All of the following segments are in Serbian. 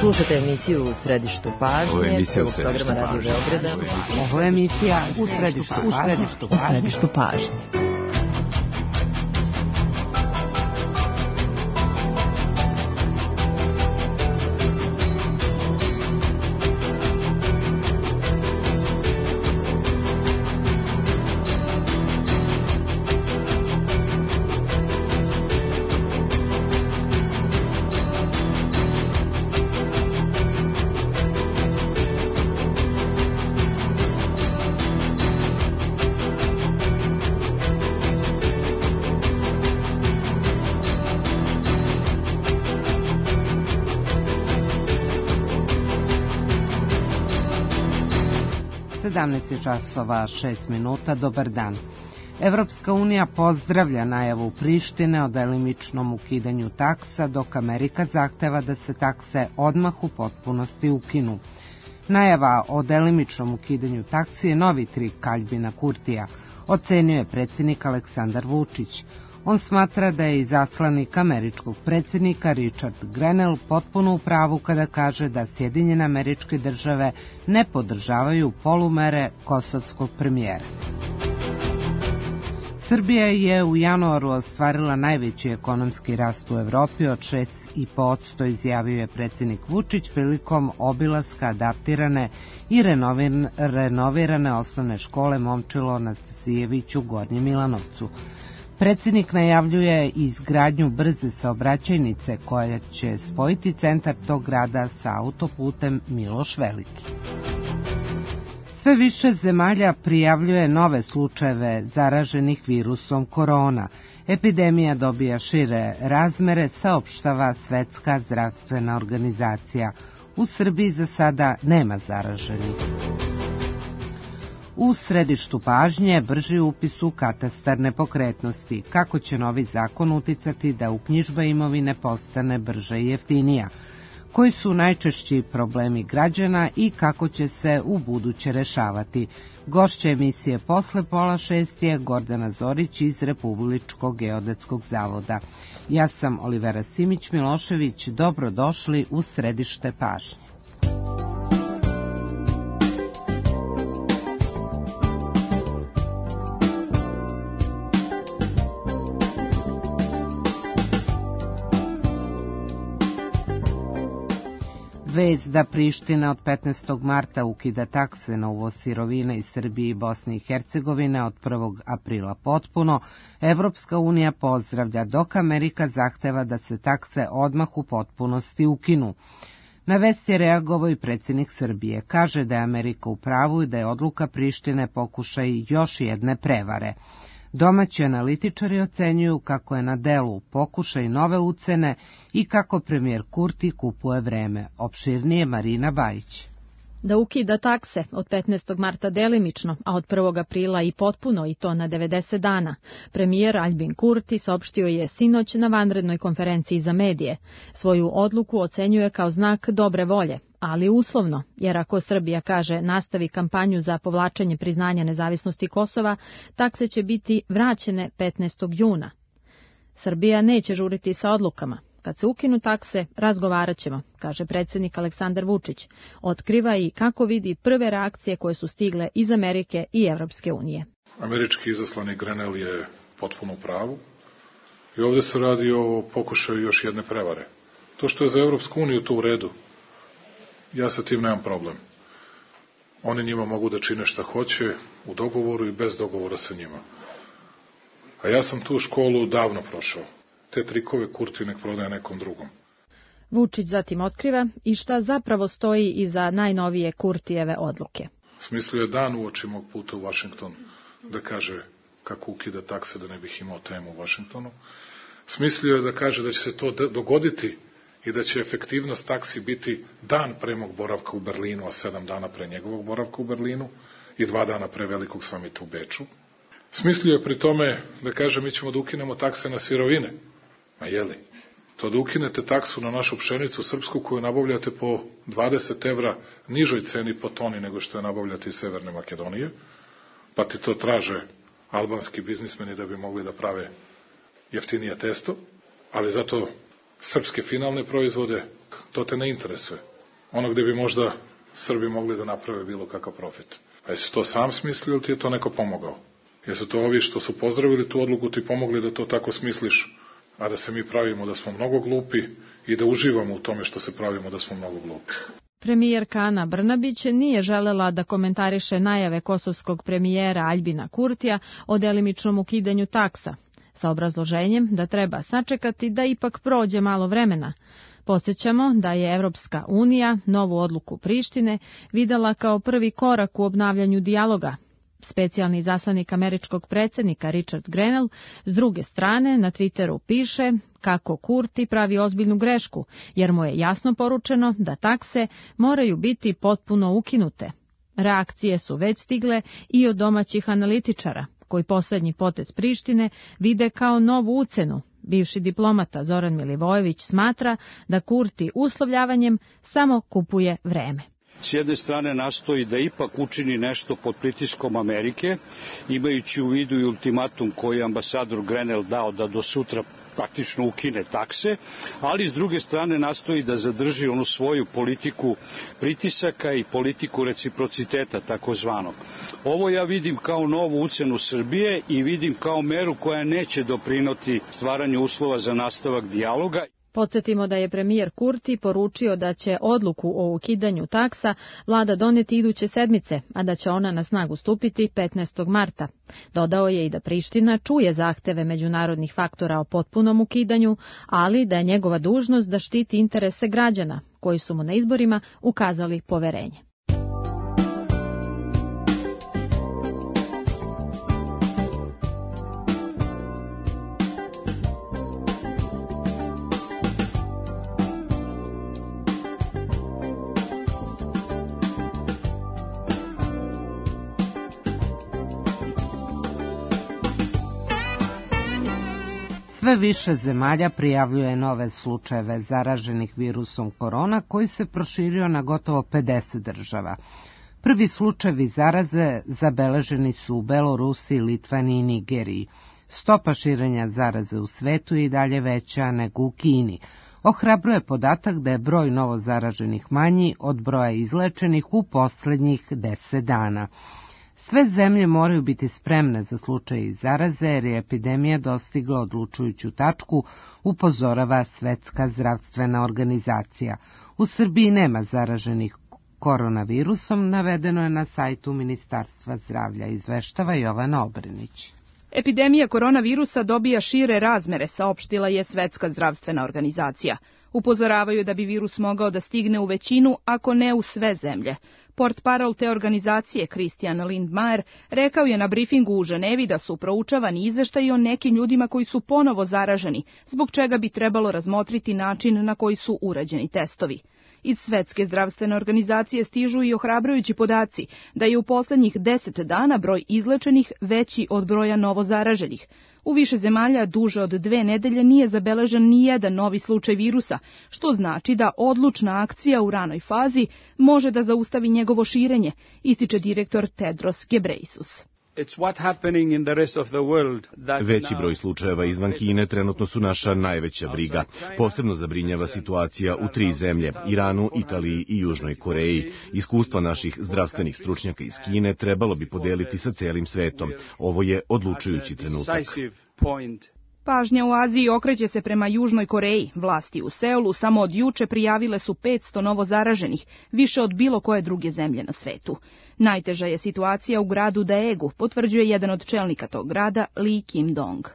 Slušate emisiju U središtu pažnje, prvog programa Radio Beograda. Ovo je emisija U središtu pažnje. Časova 6 minuta, dobar dan. Evropska unija pozdravlja najavu Prištine o delimičnom ukidanju taksa, dok Amerika zahteva da se takse odmah u potpunosti ukinu. Najava o delimičnom ukidanju taksi je novi trik Aljbina Kurtija, ocenio je predsjednik Aleksandar Vučić. On smatra da je izaslanik američkog predsjednika Richard Grenell potpuno u pravu kada kaže da Sjedinjene Američke Države ne podržavaju polumere kosovskog premijera. Srbija je u januaru ostvarila najveći ekonomski rast u Evropi od 6,5%, izjavio je predsjednik Vučić prilikom obilaska adaptirane i renovirane osnovne škole Momčilo Anastasijević u Gornjem Milanovcu. Predsjednik najavljuje izgradnju brze saobraćajnice koja će spojiti centar tog grada sa autoputem Miloš Veliki. Sve više zemalja prijavljuje nove slučajeve zaraženih virusom korona. Epidemija dobija šire razmere, saopštava Svetska zdravstvena organizacija. U Srbiji za sada nema zaraženih. U središtu pažnje brži upis u katastar nepokretnosti. Kako će novi zakon uticati da uknjižba imovine postane brža i jeftinija? Koji su najčešći problemi građana i kako će se u buduće rešavati? Gošća emisije posle 5:30 je Gordana Zorić iz Republičkog geodetskog zavoda. Ja sam Olivera Simić-Milošević, dobrodošli u središte pažnje. Vest da Priština od 15. marta ukida takse na uvoz sirovina iz Srbije i Bosne i Hercegovine od 1. aprila potpuno, Evropska unija pozdravlja, dok Amerika zahteva da se takse odmah u potpunosti ukinu. Na vest je reagovao i predsjednik Srbije. Kaže da je Amerika u pravu i da je odluka Prištine pokušaj još jedne prevare. Domaći analitičari ocenjuju kako je na delu pokušaj nove ucene i kako premijer Kurti kupuje vreme. Opširnije Marina Bajić. Da ukida takse od 15. marta delimično, a od 1. aprila i potpuno, i to na 90 dana. Premijer Aljbin Kurti saopštio je sinoć na vanrednoj konferenciji za medije. Svoju odluku ocenjuje kao znak dobre volje, ali uslovno, jer ako Srbija, kaže, nastavi kampanju za povlačenje priznanja nezavisnosti Kosova, takse će biti vraćene 15. juna. Srbija neće žuriti sa odlukama. Kad se ukinu takse, razgovarat ćemo, kaže predsjednik Aleksandar Vučić. Otkriva i kako vidi prve reakcije koje su stigle iz Amerike i Evropske unije. Američki izaslanik Grenell je potpuno u pravu i ovdje se radi o pokušaju još jedne prevare. To što je za Evropsku uniju to u redu, ja sa tim nemam problem. Oni njima mogu da čine šta hoće, u dogovoru i bez dogovora sa njima. A ja sam tu školu davno prošao. Te trikove Kurti nek prodaje nekom drugom. Vučić zatim otkriva i šta zapravo stoji iza najnovije Kurtijeve odluke. Smislio je dan uoči mog puta u Vašington da kaže kako ukida takse da ne bih imao temu u Vašingtonu. Smislio je da kaže da će se to dogoditi i da će efektivnost taksi biti dan pre mog boravka u Berlinu, a 7 dana pre njegovog boravka u Berlinu i 2 dana pre velikog samita u Beču. Smislio je pri tome da kaže mi ćemo da ukinemo takse na sirovine. Ma jeli? To da ukinete taksu na našu pšenicu srpsku koju nabavljate po 20 evra nižoj ceni po toni nego što je nabavljate iz Severne Makedonije, pa ti to traže albanski biznismeni da bi mogli da prave jeftinije testo, ali zato srpske finalne proizvode, to te ne interesuje. Ono gde bi možda Srbi mogli da naprave bilo kakav profit. A jesi to sam smislio ili ti je to neko pomogao? Jesu to ovi što su pozdravili tu odluku ti pomogli da to tako smisliš, a da se mi pravimo da smo mnogo glupi i da uživamo u tome što se pravimo da smo mnogo glupi. Premijerka Ana Brnabić nije želela da komentariše najave kosovskog premijera Aljbina Kurtija o delimičnom ukidanju taksa, sa obrazloženjem da treba sačekati da ipak prođe malo vremena. Podsjećamo da je Evropska unija novu odluku Prištine videla kao prvi korak u obnavljanju dijaloga. Specijalni izaslanik američkog predsjednika Richard Grenell s druge strane na Twitteru piše kako Kurti pravi ozbiljnu grešku, jer mu je jasno poručeno da takse moraju biti potpuno ukinute. Reakcije su već stigle i od domaćih analitičara, koji posljednji potez Prištine vide kao novu ucenu. Bivši diplomata Zoran Milivojević smatra da Kurti uslovljavanjem samo kupuje vreme. S jedne strane nastoji da ipak učini nešto pod pritiskom Amerike, imajući u vidu i ultimatum koji je ambasador Grenell dao da do sutra praktično ukine takse, ali s druge strane nastoji da zadrži onu svoju politiku pritisaka i politiku reciprociteta takozvanog. Ovo ja vidim kao novu ucenu Srbije i vidim kao meru koja neće doprinoti stvaranju uslova za nastavak dijaloga. Podsjetimo da je premijer Kurti poručio da će odluku o ukidanju taksa vlada doneti iduće sedmice, a da će ona na snagu stupiti 15. marta. Dodao je i da Priština čuje zahteve međunarodnih faktora o potpunom ukidanju, ali da je njegova dužnost da štiti interese građana, koji su mu na izborima ukazali poverenje. Sve više zemalja prijavljuje nove slučajeve zaraženih virusom korona koji se proširio na gotovo 50 država. Prvi slučajevi zaraze zabeleženi su u Belorusiji, Litvaniji i Nigeriji. Stopa širenja zaraze u svetu je i dalje veća nego u Kini. Ohrabruje podatak da je broj novo zaraženih manji od broja izlečenih u poslednjih 10 dana. Sve zemlje moraju biti spremne za slučaj zaraze jer je epidemija dostigla odlučujuću tačku, upozorava Svetska zdravstvena organizacija. U Srbiji nema zaraženih koronavirusom, navedeno je na sajtu Ministarstva zdravlja, izveštava Jovana Obrenić. Epidemija koronavirusa dobija šire razmere, saopštila je Svetska zdravstvena organizacija. Upozoravaju da bi virus mogao da stigne u većinu, ako ne u sve zemlje. Portparol te organizacije, Christian Lindmeier, rekao je na brifingu u Ženevi da su proučavani izveštaji o nekim ljudima koji su ponovo zaraženi, zbog čega bi trebalo razmotriti način na koji su urađeni testovi. Iz Svetske zdravstvene organizacije stižu i ohrabrujući podaci da je u poslednjih 10 dana broj izlečenih veći od broja novo zaraženih. U više zemalja duže od 2 nedelje nije zabeležen ni jedan novi slučaj virusa, što znači da odlučna akcija u ranoj fazi može da zaustavi njegovo širenje, ističe direktor Tedros Ghebreyesus. Veći broj slučajeva izvan Kine trenutno su naša najveća briga. Posebno zabrinjava situacija u 3 zemlje, Iranu, Italiji i Južnoj Koreji. Iskustva naših zdravstvenih stručnjaka iz Kine trebalo bi podeliti sa celim svetom. Ovo je odlučujući trenutak. Pažnja u Aziji okreće se prema Južnoj Koreji. Vlasti u Seulu samo od juče prijavile su 500 novo zaraženih, više od bilo koje druge zemlje na svetu. Najteža je situacija u gradu Daegu, potvrđuje jedan od čelnika tog grada, Lee Kim-dong.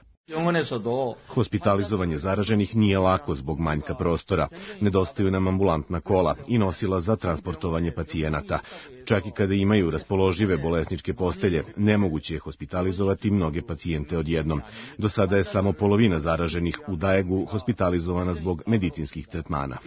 Hospitalizovanje zaraženih nije lako zbog manjka prostora. Nedostaju nam ambulantna kola i nosila za transportovanje pacijenata. Čak i kada imaju raspoložive bolesničke postelje, nemoguće je hospitalizovati mnoge pacijente odjednom. Do sada je samo polovina zaraženih u Daegu hospitalizovana zbog medicinskih tretmana.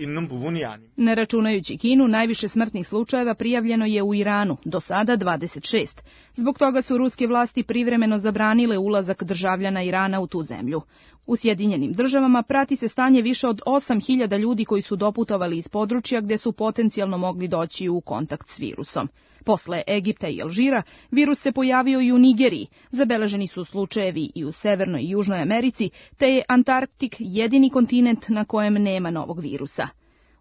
Ne računajući Kinu, najviše smrtnih slučajeva prijavljeno je u Iranu, do sada 26. Zbog toga su ruske vlasti privremeno zabranile ulazak državljana Irana u tu zemlju. U Sjedinjenim državama prati se stanje više od 8.000 ljudi koji su doputovali iz područja gde su potencijalno mogli doći u kontakt s virusom. Posle Egipta i Alžira, virus se pojavio i u Nigeriji. Zabeleženi su slučajevi i u Severnoj i Južnoj Americi, te je Antarktik jedini kontinent na kojem nema novog virusa.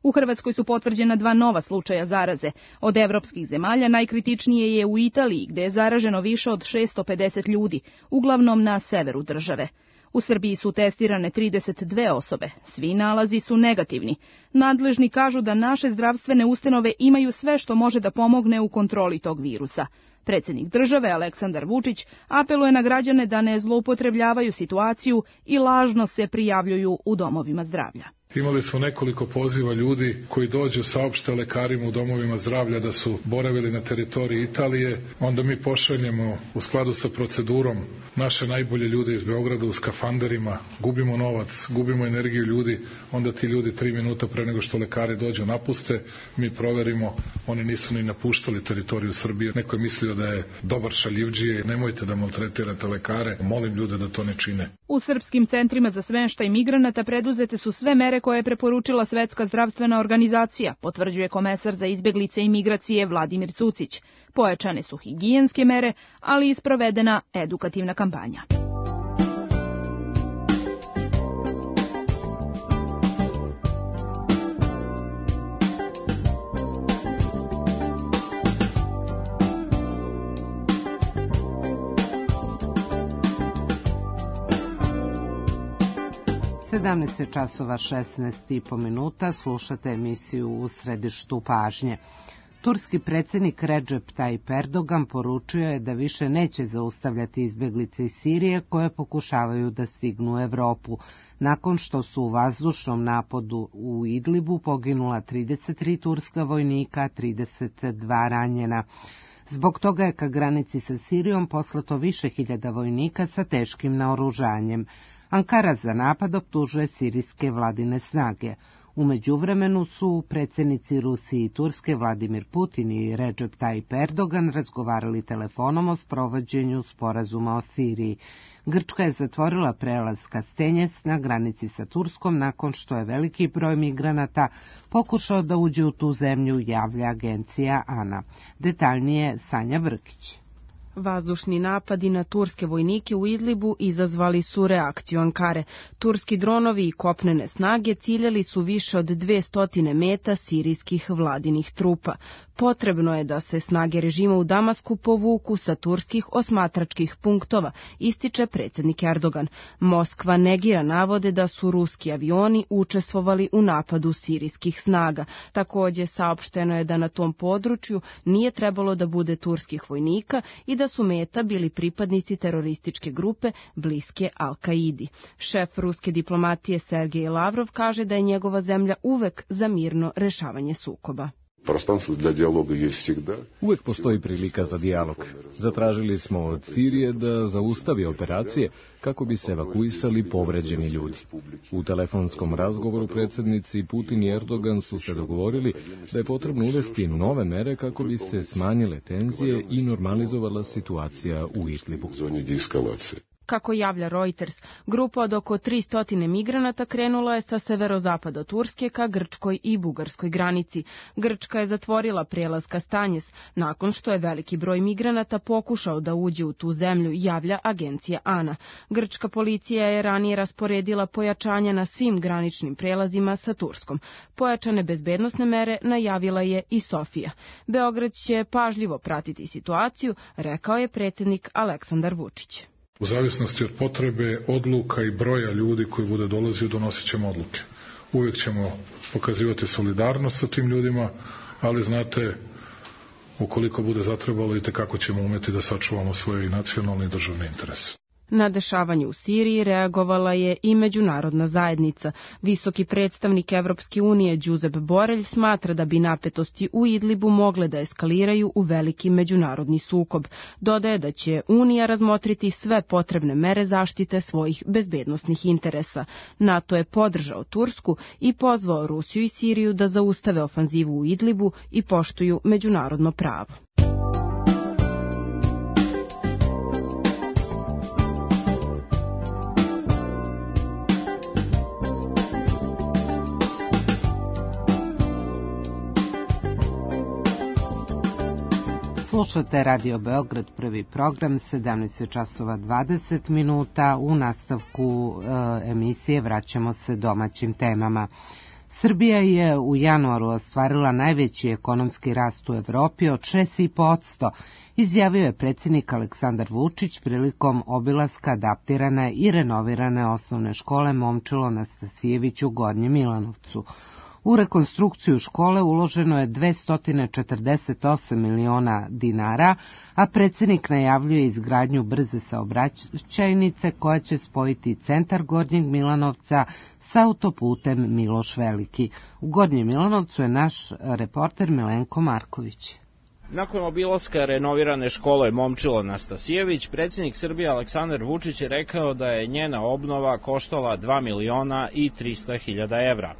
U Hrvatskoj su potvrđena 2 nova slučaja zaraze. Od evropskih zemalja najkritičnije je u Italiji, gde je zaraženo više od 650 ljudi, uglavnom na severu države. U Srbiji su testirane 32 osobe. Svi nalazi su negativni. Nadležni kažu da naše zdravstvene ustanove imaju sve što može da pomogne u kontroli tog virusa. Predsjednik države Aleksandar Vučić apeluje na građane da ne zloupotrebljavaju situaciju i lažno se prijavljuju u domovima zdravlja. Imali smo nekoliko poziva ljudi koji dođu, saopšte lekarima u domovima zdravlja da su boravili na teritoriji Italije, onda mi pošaljemo u skladu sa procedurom naše najbolje ljude iz Beograda u skafanderima, gubimo novac, gubimo energiju ljudi, onda ti ljudi 3 minuta pre nego što lekari dođu napuste, mi proverimo, oni nisu ni napuštali teritoriju Srbije, neko je mislio da je dobar šaljivdžije, nemojte da maltretirate lekare, molim ljude da to ne čine. U srpskim centrima za smeštaj migranata preduzete su sve mere koje je preporučila Svetska zdravstvena organizacija, potvrđuje komesar za izbeglice i migracije Vladimir Cucić. Pojačane su higijenske mere, ali i sprovedena edukativna kampanja. časova 16:05, slušate emisiju U središtu pažnje. Turski predsjednik Recep Tayyip Erdogan poručio je da više neće zaustavljati izbjeglice iz Sirije koje pokušavaju da stignu u Evropu, nakon što su u vazdušnom napadu u Idlibu poginula 33 turska vojnika, 32 ranjena. Zbog toga je ka granici sa Sirijom poslato više hiljada vojnika sa teškim naoružanjem. Ankara za napad optužuje sirijske vladine snage. U međuvremenu su predsjednici Rusije i Turske Vladimir Putin i Recep Tayyip Erdogan razgovarali telefonom o sprovođenju sporazuma o Siriji. Grčka je zatvorila prelaz Kastenjes na granici sa Turskom nakon što je veliki broj migranata pokušao da uđe u tu zemlju, javlja agencija ANA. Detaljnije Sanja Vrkić. Vazdušni napadi na turske vojnike u Idlibu izazvali su reakciju Ankare. Turski dronovi i kopnene snage ciljali su više od 200 meta sirijskih vladinih trupa. Potrebno je da se snage režima u Damasku povuku sa turskih osmatračkih punktova, ističe predsjednik Erdogan. Moskva negira navode da su ruski avioni učestvovali u napadu sirijskih snaga. Također saopšteno je da na tom području nije trebalo da bude turskih vojnika i da su meta bili pripadnici terorističke grupe bliske Al-Kaidi. Šef ruske diplomatije Sergej Lavrov kaže da je njegova zemlja uvek za mirno rešavanje sukoba. Uvek postoji prilika za dijalog. Zatražili smo od Sirije da zaustavi operacije kako bi se evakuisali povređeni ljudi. U telefonskom razgovoru predsjednici Putin i Erdogan su se dogovorili da je potrebno uvesti nove mere kako bi se smanjile tenzije i normalizovala situacija u Idlibu. Kako javlja Reuters, grupa od oko 300 migranata krenula je sa severozapada Turske ka grčkoj i bugarskoj granici. Grčka je zatvorila prijelaz Kastanjes nakon što je veliki broj migranata pokušao da uđe u tu zemlju, javlja agencija ANA. Grčka policija je ranije rasporedila pojačanja na svim graničnim prelazima sa Turskom. Pojačane bezbednosne mere najavila je i Sofija. Beograd će pažljivo pratiti situaciju, rekao je predsjednik Aleksandar Vučić. U zavisnosti od potrebe, odluka i broja ljudi koji bude dolazio, donosit ćemo odluke. Uvijek ćemo pokazivati solidarnost sa tim ljudima, ali znate, ukoliko bude zatrebalo i tekako ćemo umeti da sačuvamo svoje i nacionalne i državne interese. Na dešavanje u Siriji reagovala je i međunarodna zajednica. Visoki predstavnik Evropske unije Josep Borrell smatra da bi napetosti u Idlibu mogle da eskaliraju u veliki međunarodni sukob. Dodaje da će Unija razmotriti sve potrebne mere zaštite svojih bezbednosnih interesa. NATO je podržao Tursku i pozvao Rusiju i Siriju da zaustave ofanzivu u Idlibu i poštuju međunarodno pravo. Slušate Radio Beograd, prvi program, 17:20. U nastavku emisije vraćamo se domaćim temama. Srbija je u januaru ostvarila najveći ekonomski rast u Evropi od 6,5%, izjavio je predsjednik Aleksandar Vučić prilikom obilaska adaptirane i renovirane osnovne škole Momčilo Nastasijević u Gornjem Milanovcu. U rekonstrukciju škole uloženo je 248 miliona dinara, a predsjednik najavljuje izgradnju brze saobraćajnice koja će spojiti centar Gornjeg Milanovca sa autoputem Miloš Veliki. U Gornjem Milanovcu je naš reporter Milenko Marković. Nakon obilaska renovirane škole Momčilo Nastasijević, predsjednik Srbije Aleksandar Vučić je rekao da je njena obnova koštala 2.300.000 evra.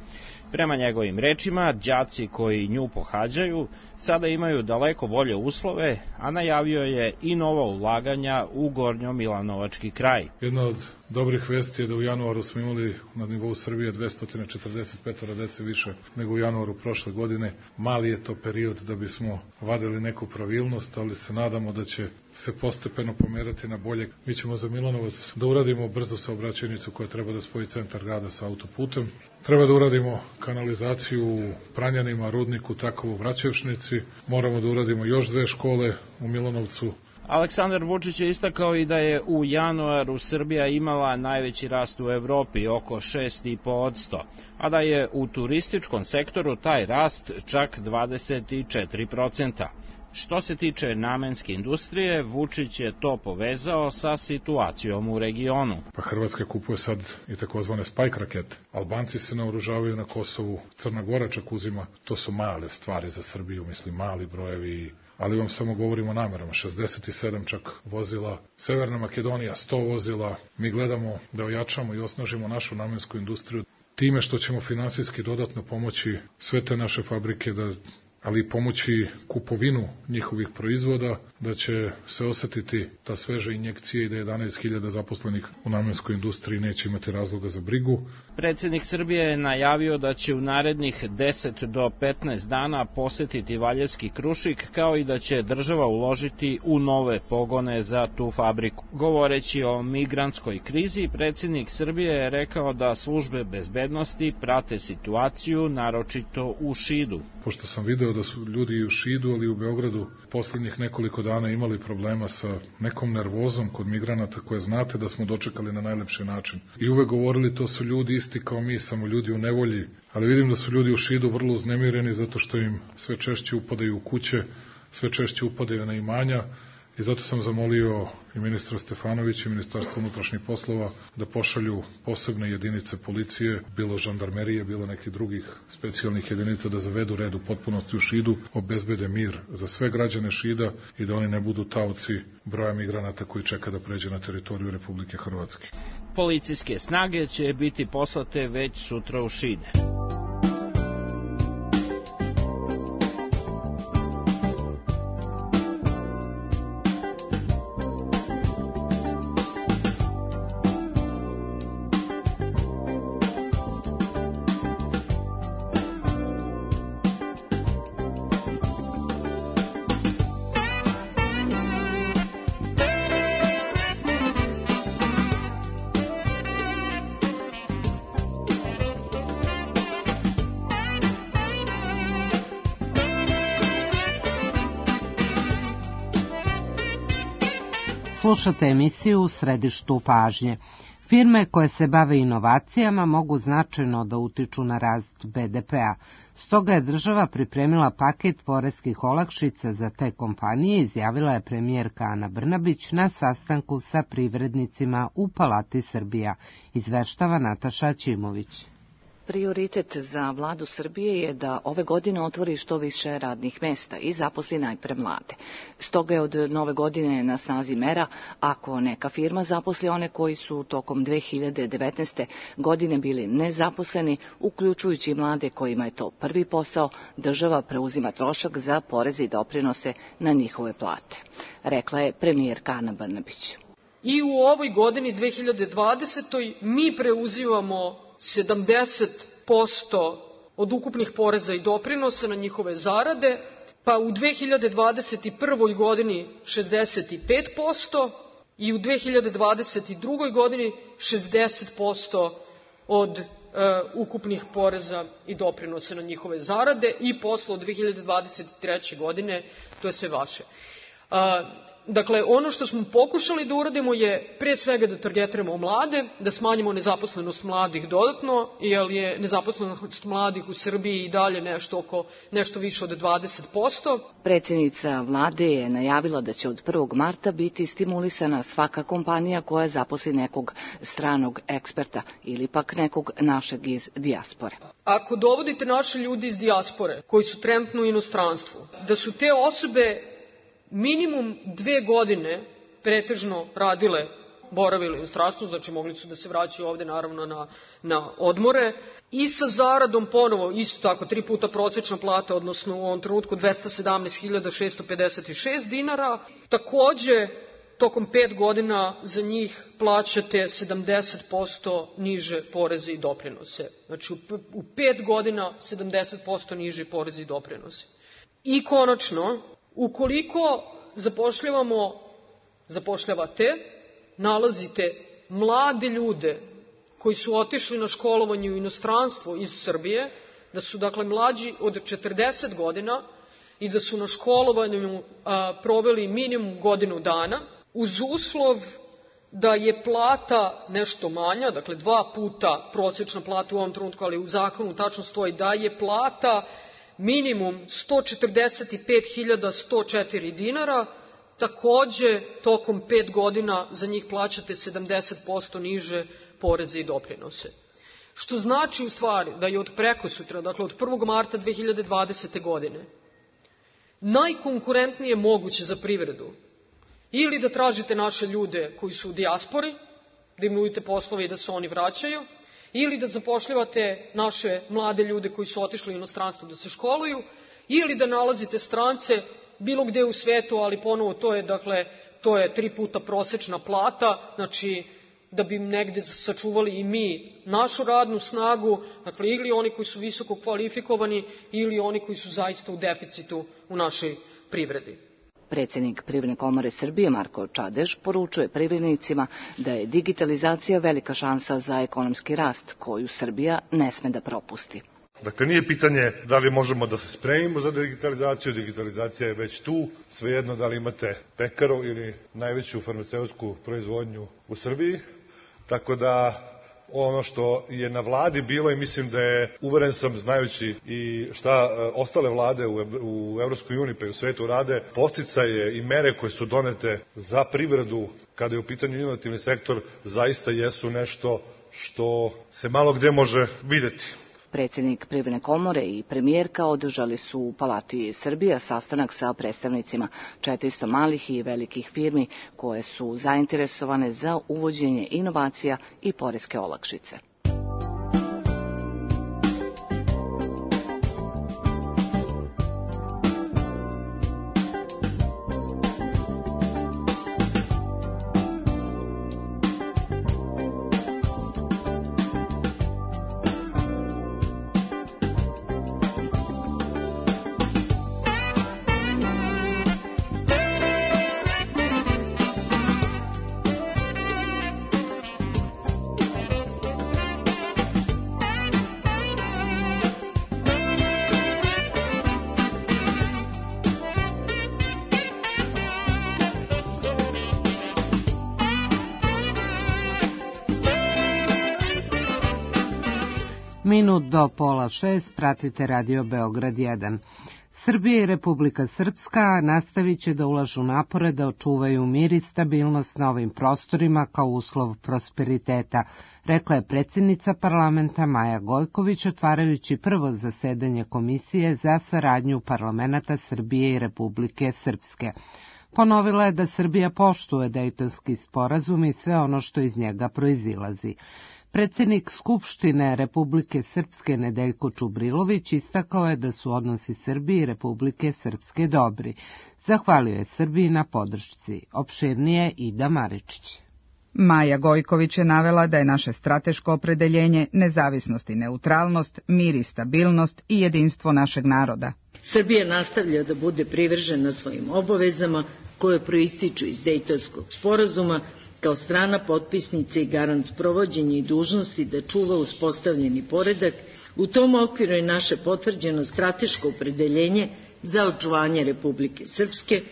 Prema njegovim rečima, đaci koji nju pohađaju sada imaju daleko bolje uslove, a najavio je i nova ulaganja u Gornjo-Milanovački kraj. Jedna od dobrih vesti je da u januaru smo imali na nivou Srbije 245 dece više nego u januaru prošle godine. Mali je to period da bismo vadili neku pravilnost, ali se nadamo da će se postepeno pomerati na bolje. Mi ćemo za Milanovac da uradimo brzu saobraćajnicu koja treba da spoji centar grada sa autoputem. Treba da uradimo kanalizaciju u Pranjanima, Rudniku, tako u Vraćevšnici. Moramo da uradimo još 2 škole u Milanovcu. Aleksandar Vučić je istakao i da je u januaru Srbija imala najveći rast u Evropi, oko 6,5%, a da je u turističkom sektoru taj rast čak 24%. Što se tiče namenske industrije, Vučić je to povezao sa situacijom u regionu. Pa Hrvatska kupuje sad i takozvane Spike rakete. Albanci se naoružavaju na Kosovu, Crna Gora čak uzima. To su male stvari za Srbiju, mislim, mali brojevi, ali vam samo govorimo o namerama. 67 čak vozila, Severna Makedonija 100 vozila. Mi gledamo da ojačamo i osnažimo našu namensku industriju time što ćemo finansijski dodatno pomoći sve te naše fabrike ali i pomoći kupovinu njihovih proizvoda, da će se osetiti ta sveža injekcija i da 11.000 zaposlenih u namenskoj industriji neće imati razloga za brigu. Predsjednik Srbije je najavio da će u narednih 10 do 15 dana posetiti Valjevski Krušik, kao i da će država uložiti u nove pogone za tu fabriku. Govoreći o migrantskoj krizi, predsjednik Srbije je rekao da službe bezbednosti prate situaciju, naročito u Šidu. Pošto sam video da su ljudi i u Šidu, ali i u Beogradu posljednjih nekoliko dana imali problema sa nekom nervozom kod migranata koje znate da smo dočekali na najlepši način. I uvek govorili to su ljudi isti kao mi, samo ljudi u nevolji, ali vidim da su ljudi u Šidu vrlo uznemireni zato što im sve češće upadaju u kuće, sve češće upadaju na imanja i zato sam zamolio i ministra Stefanovića i Ministarstvo unutrašnjih poslova da pošalju posebne jedinice policije, bilo žandarmerije, bilo nekih drugih specijalnih jedinica da zavedu red u potpunosti u Šidu, obezbede mir za sve građane Šida i da oni ne budu taoci broja migranata koji čeka da pređe na teritoriju Republike Hrvatske. Policijske snage će biti poslate već sutra u Šide. Slušate emisiju U središtu pažnje. Firme koje se bave inovacijama mogu značajno da utiču na rast BDP-a. Stoga je država pripremila paket poreskih olakšica za te kompanije, izjavila je premijerka Ana Brnabić na sastanku sa privrednicima u Palati Srbija, izveštava Nataša Ćimović. Prioritet za vladu Srbije je da ove godine otvori što više radnih mesta i zaposli najpre mlade. Stoga je od nove godine na snazi mera ako neka firma zaposli one koji su tokom 2019. godine bili nezaposleni, uključujući mlade kojima je to prvi posao, država preuzima trošak za poreze i doprinose na njihove plate, rekla je premijerka Ana Brnabić. I u ovoj godini 2020. mi preuzimamo 70% od ukupnih poreza i doprinosa na njihove zarade, pa u 2021. godini 65% i u 2022. godini 60% od ukupnih poreza i doprinose na njihove zarade i posle od 2023. godine to je sve vaše. Dakle, ono što smo pokušali da uradimo je pre svega da targetiramo mlade, da smanjimo nezaposlenost mladih dodatno, jer je nezaposlenost mladih u Srbiji i dalje nešto više od 20%. Predsjednica vlade je najavila da će od 1. marta biti stimulisana svaka kompanija koja zaposli nekog stranog eksperta ili pak nekog našeg iz dijaspore. Ako dovodite naše ljude iz dijaspore koji su trenutno u inostranstvu, da su te osobe minimum 2 godine pretežno boravile u inostranstvu, znači mogli su da se vraćaju ovde naravno na odmore i sa zaradom ponovo isto tako 3 puta prosečna plata, odnosno u ovom trenutku 217.656 dinara. Takođe, tokom 5 godina za njih plaćate 70% niže poreze i doprinose. Znači u 5 godina 70% niže poreze i doprinose. I konačno, ukoliko zapošljavate, nalazite mlade ljude koji su otišli na školovanje u inostranstvo iz Srbije, da su dakle mlađi od 40 godina i da su na školovanju proveli minimum godinu dana, uz uslov da je plata nešto manja, dakle 2 puta prosečna plata u ovom trenutku, ali u zakonu tačno stoji da je plata minimum 145.104 dinara, takođe tokom 5 godina za njih plaćate 70% niže poreze i doprinose. Što znači u stvari da je od prekosutra, dakle od 1. marta 2020. godine, najkonkurentnije moguće za privredu ili da tražite naše ljude koji su u dijaspori, da im nudite poslove i da se oni vraćaju, ili da zapošljavate naše mlade ljude koji su otišli u inostranstvo da se školuju, ili da nalazite strance bilo gde u svetu, ali ponovo to je 3 puta prosečna plata, znači da bi negde sačuvali i mi našu radnu snagu, dakle ili oni koji su visoko kvalifikovani ili oni koji su zaista u deficitu u našoj privredi. Predsjednik Privredne komore Srbije Marko Čadež poručuje privrednicima da je digitalizacija velika šansa za ekonomski rast koju Srbija ne sme da propusti. Dakle, nije pitanje da li možemo da se spremimo za digitalizaciju, digitalizacija je već tu, svejedno da li imate pekaru ili najveću farmaceutsku proizvodnju u Srbiji, tako da ono što je na vladi bilo i mislim da je, uveren sam znajući i šta ostale vlade u Evropskoj uniji pa i u svetu rade, podsticaje i mere koje su donete za privredu kada je u pitanju inovativni sektor zaista jesu nešto što se malo gde može videti. Predsjednik Privredne komore i premijerka održali su u Palati Srbija sastanak sa predstavnicima 400 malih i velikih firmi koje su zainteresovane za uvođenje inovacija i poreske olakšice. Minut do 5:30 pratite Radio Beograd 1. Srbija i Republika Srpska nastavit će da ulažu napore da očuvaju mir i stabilnost na ovim prostorima kao uslov prosperiteta, rekla je predsjednica parlamenta Maja Gojković otvarajući prvo zasedanje Komisije za saradnju parlamenata Srbije i Republike Srpske. Ponovila je da Srbija poštuje Dejtonski sporazum i sve ono što iz njega proizilazi. Predsjednik Skupštine Republike Srpske Nedeljko Čubrilović istakao je da su odnosi Srbije i Republike Srpske dobri. Zahvalio je Srbiji na podršci. Opširnije Ida Maričić. Maja Gojković je navela da je naše strateško opredeljenje nezavisnost i neutralnost, mir i stabilnost i jedinstvo našeg naroda. Srbija nastavlja da bude privržena svojim obavezama koje proističu iz Dejtonskog sporazuma kao strana potpisnica i garant sprovođenja i dužnosti da čuva uspostavljeni poredak. U tom okviru je naše potvrđeno strateško opredeljenje za očuvanje Republike Srpske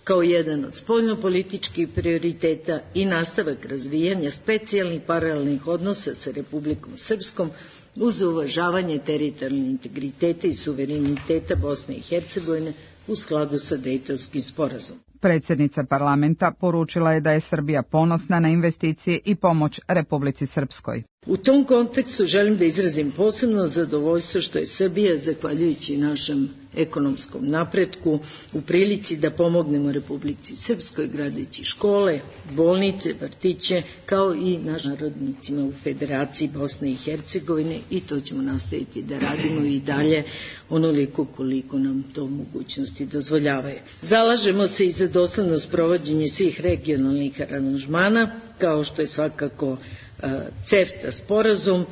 kao jedan od spoljnopolitičkih prioriteta i nastavak razvijanja specijalnih paralelnih odnosa sa Republikom Srpskom uz uvažavanje teritorijalnog integriteta i suvereniteta Bosne i Hercegovine u skladu sa Dejtonskim sporazumom. Predsjednica parlamenta poručila je da je Srbija ponosna na investicije i pomoć Republici Srpskoj. U tom kontekstu želim da izrazim posebno zadovoljstvo što je Srbija, zahvaljujući našem ekonomskom napretku, u prilici da pomognemo Republici Srpskoj gradeći škole, bolnice, vrtiće, kao i našim narodnicima u Federaciji Bosne i Hercegovine, i to ćemo nastaviti da radimo i dalje onoliko koliko nam to mogućnosti dozvoljavaju. Zalažemo se i za dosledno sprovođenje svih regionalnih aranžmana, kao što je svakako CEFTA sporazum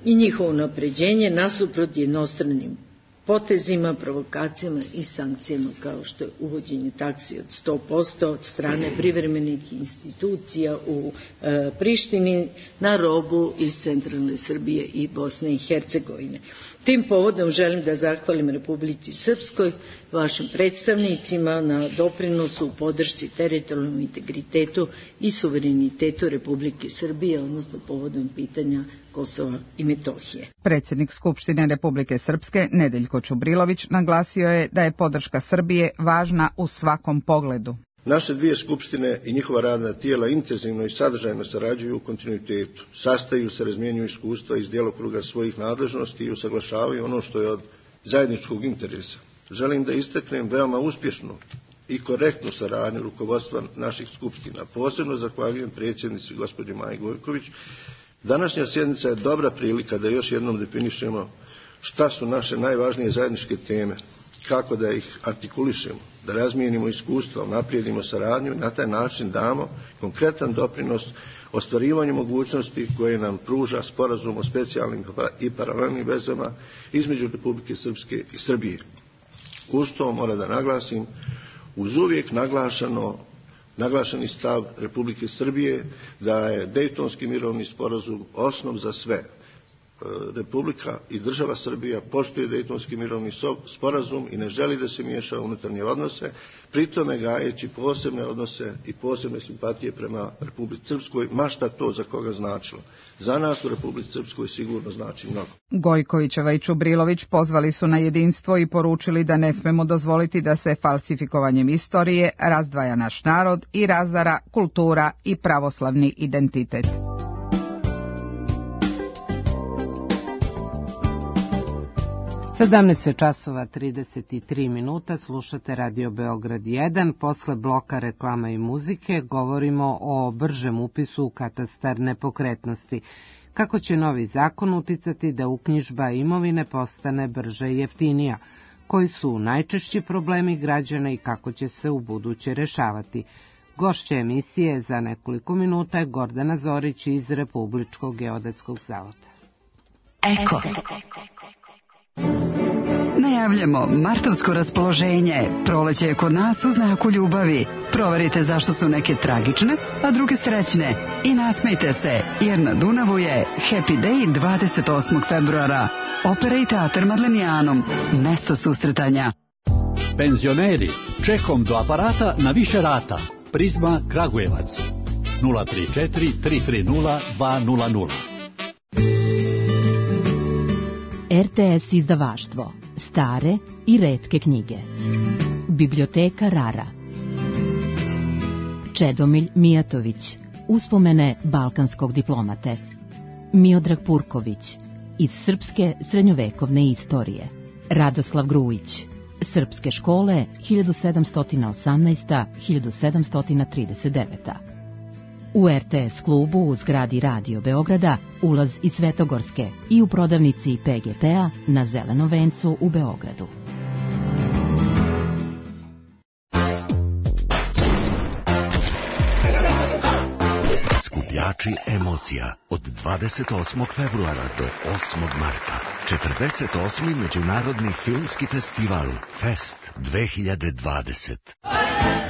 i njihovo unapređenje nasuprot jednostranim potezima, provokacijama i sankcijama, kao što je uvođenje taksi od 100% od strane privremenih institucija u Prištini na robu iz centralne Srbije i Bosne i Hercegovine. Tim povodom želim da zahvalim Republici Srpskoj, vašim predstavnicima na doprinosu u podršci teritorijalnom integritetu i suverenitetu Republike Srbije, odnosno povodom pitanja Kosova i Metohije. Predsjednik Skupštine Republike Srpske Nedeljko Čubrilović naglasio je da je podrška Srbije važna u svakom pogledu. Naše dvije skupštine i njihova radna tijela intenzivno i sadržajno sarađuju u kontinuitetu, sastaju se, razmjenjuju iskustva iz djelokruga svojih nadležnosti i usaglašavaju ono što je od zajedničkog interesa. Želim da istaknem veoma uspješnu i korektnu saradnju rukovodstva naših skupština. Posebno zahvaljujem predsjednici gospođi Maji Gojković. Današnja sjednica je dobra prilika da još jednom definišemo šta su naše najvažnije zajedničke teme, kako da ih artikulišemo, da razmijenimo iskustva, naprijedimo saradnju i na taj način damo konkretan doprinos ostvarivanju mogućnosti koje nam pruža sporazum o specijalnim i paralelnim vezama između Republike Srpske i Srbije. Uz to mora da naglasim, uz uvijek naglašeni stav Republike Srbije da je Dejtonski mirovni sporazum osnov za sve. Republika i država Srbija poštuje Dejtonski mirovni sporazum i ne želi da se miješa u unutarnje odnose, pritome gajeći posebne odnose i posebne simpatije prema Republici Srpskoj, ma šta to za koga značilo. Za nas u Republici Srpskoj sigurno znači mnogo. Gojkovićeva i Čubrilović pozvali su na jedinstvo i poručili da ne smemo dozvoliti da se falsifikovanjem istorije razdvaja naš narod i razara kultura i pravoslavni identitet. 17 časova 33 minuta, slušate Radio Beograd 1. Posle bloka reklama i muzike govorimo o bržem upisu u katastar nepokretnosti. Kako će novi zakon uticati da uknjižba imovine postane brže i jeftinija? Koji su najčešći problemi građana i kako će se u buduće rešavati? Gošća emisije za nekoliko minuta je Gordana Zorić iz Republičkog geodetskog zavoda. Eko. Najavljamo martovsko raspoloženje. Proleće je kod nas u znaku ljubavi. Proverite zašto su neke tragične, a druge srećne. I nasmejte se, jer na Dunavu je Happy Day 28. februara. Opera i teatar Madlenijanom. Mesto susretanja. Penzioneri, čekom do aparata na više rata. Prizma Kragujevac. 034 330 200. RTS izdavaštvo. Stare i retke knjige. Biblioteka Rara. Čedomilj Mijatović. Uspomene balkanskog diplomate. Miodrag Purković. Iz srpske srednjovekovne istorije. Radoslav Grujić. Srpske škole 1718-1739. U RTS klubu u zgradi Radio Beograda ulaz iz Svetogorske i u prodavnici PGP-a na Zelenom vencu u Beogradu. Skuplja Igrači emocija od 28. februara do 8. marta. 48. Međunarodni filmski festival Fest 2020.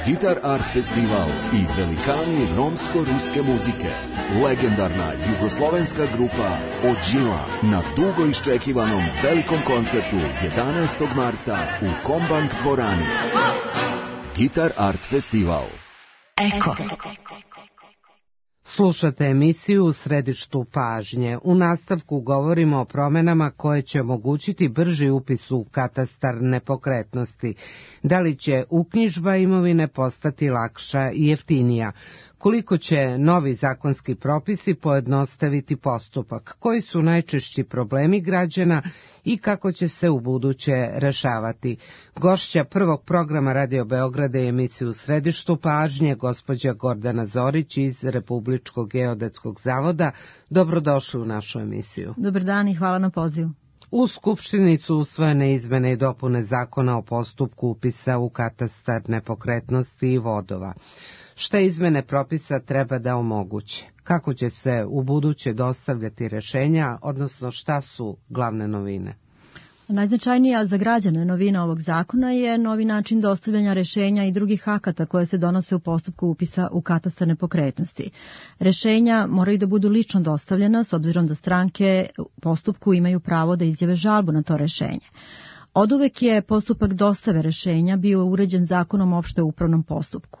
Guitar Art Festival i velikani romsko-ruske muzike. Legendarna jugoslovenska grupa Ođila na dugo iščekivanom velikom koncertu 11. marta u Kombank dvorani. Guitar Art Festival. Eko. Slušate emisiju U središtu pažnje. U nastavku govorimo o promenama koje će omogućiti brži upis u katastar nepokretnosti. Da li će uknjižba imovine postati lakša i jeftinija? Koliko će novi zakonski propisi pojednostaviti postupak? Koji su najčešći problemi građana i kako će se ubuduće rešavati? Gošća prvog programa Radio Beograda i emisiju U središtu pažnje, gospođa Gordana Zorić iz Republičkog geodetskog zavoda. Dobrodošli u našu emisiju. Dobar dan i hvala na pozivu. U Skupštini su usvojene izmene i dopune zakona o postupku upisa u katastar nepokretnosti i vodova. Šta izmene propisa treba da omoguće? Kako će se ubuduće dostavljati rešenja, odnosno šta su glavne novine? Najznačajnija za građane novina ovog zakona je novi način dostavljanja rešenja i drugih akata koje se donose u postupku upisa u katastar nepokretnosti. Rešenja moraju da budu lično dostavljena, s obzirom da stranke u postupku imaju pravo da izjave žalbu na to rešenje. Oduvek je postupak dostave rešenja bio uređen zakonom o opštem upravnom postupku.